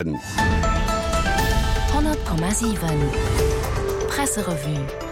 100,7 Presserevue.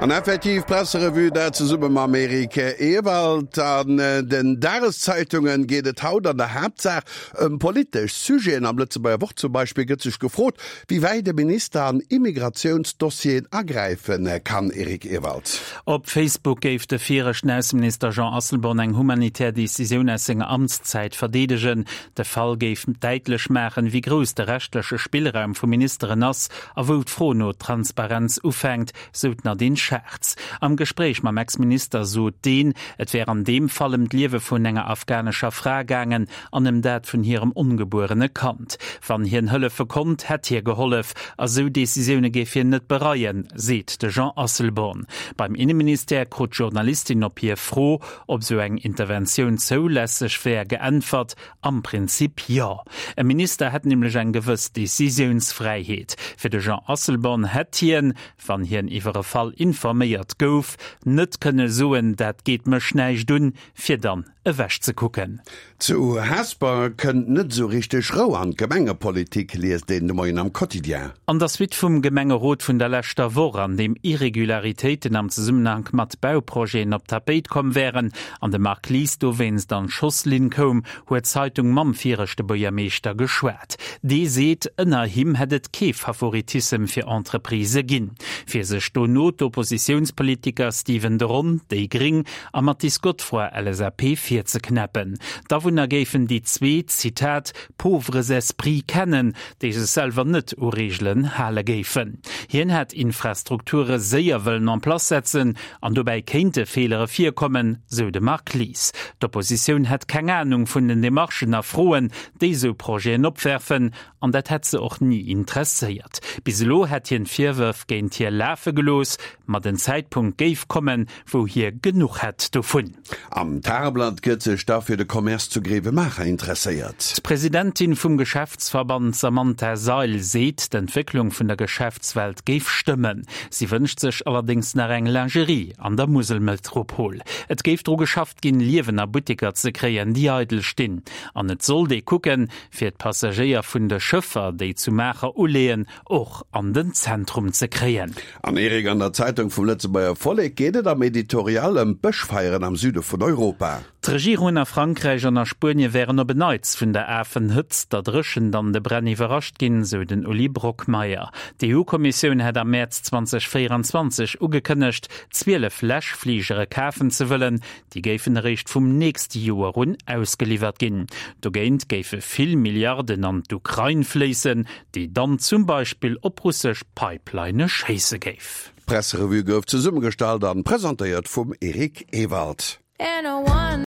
An effektiv, Presserevue, dat zesumme mam Eric Ewald. An den Dageszeitunge geet et haut an der Haaptsaach ëm politesch Sujeten. Am Lëtzebuerger Wort zum Beispill gëtt sech gefrot, wéi wäit e Minister an Immigratiounsdossieren agräife kann. Eric Ewald. Op Facebook géif de viregten Ausseminister Jean Asselborn eng humanitär Decisioun aus senger Amtszäit verdeedegen. De Fall géif däitlech maachen, wéi grouss de rechtleche Spillraum vu Ministeren ass a wou d'Fro no Transparenz ufänkt, sou d'Nadine Schartz. Am Gespréich mam Ex-Minister sot deen, et wär an deem Fall ëm d'Liewe vun enger afghanescher Fra gaangen an ëm dat vun hirem ongebuerene Kand. Wann hien hëllefe konnt, hätt hie gehollef a sou Decisioune géif hien net bereien, seet de Jean Asselborn. Beim Inneministère krut d'Journalistin op hir Fro, Ob sou eng Interventioun zoulässeg wär, geäntwert, Am Prinzip jo. E Minister hätt nämlech eng gewëss Decisiounsfräiheet. Fir de Jean Asselborn hätt hien, wann hien iwwer e Fall informéiert gouf, net kënne soen, dat geet mech näischt un, fir dann ewech ze kucken. Zu Hesper kënnt net esou richteg Rou an d'Gemengepolitik, liest een de Moien am Quotidien. An der Suite vum Gemengerot vun der leschter Woch, an deem Irregularitéiten am Zesummenhank mat Bauprojeten op d'Tapéit komm wären an de Marc Lies dowéinst an d'Schosslinn koum, huet d'Zeitung mam viregte Buergermeeschter geschwat. Dee seet, ënner him hätt et kee Favoritissem fir Entreprisë ginn. Fir sech dono d'Oppositiounspolitiker Stephen de Ron, déi gring, a Mathis Godefroid, LSAP, virzeknäppen. D'Awunner géifen déi zwee, Zitat, pauvres esprits kennen, déi sech selwer net u Reegelen hale géifen. Hien hätt Infrastrukture séier wëllen en place setzen an dobäi kéinte Feelere virkommen, sou de Marc Lies. D'Oppositioun hätt keng Anung vun den Demarchen a Froen, déi sou Projeten opwerfen, an dat hätt se och ni interesséiert. Bis elo hätt hien d'Virwërf géint hie lafe gelooss, ma den Zäitpunkt géif kommen, wou hie genuch hätt dovun. Am Tageblatt gëtt sech da fir de Commerce zu Grevenmacher interesséiert. D'Presidentin vum Geschäftsverband Samantha Seil seet, d'Entwécklung vun der Geschäftswelt géif stëmmen. Si wënscht sech allerdéngs nach eng Lingerie an der Muselmetropol. Et géif dru geschafft ginn, Liewen a Butteker ze kréien, déi eidel stinn. An et sollt ee kucken, fir d'Passagéier vun de Schëffer, déi zu Maacher uleeën, och an den Zentrum ze kréien. An Eric, an der Zeitung vum Lëtzebuerger Vollek geet et am Editorial ëm d'Bëschfeieren am Süde vun Europa. D'Regierungen a Frankräich an a Spuenie wären op en Neits vun der afen Hëtzt, der Dréchent an de Bränn iwwerrascht ginn, sou den Uli Brockmeyer. D'EU-Kommissioun hätt am Mäerz 2024 ugekënnegt, 12 Läschfligere kafen ze wëllen. Déi géifen eréischt vum nächste Joer un ausgeliwwert ginn. Dogéint géife vill Milliarden an d'Ukrain fléissen, déi dann zum Beispill op russesch Pipelinë schéisse géif. D'Presserevue gouf zesummegestallt an presentéiert vum Eric Ewald.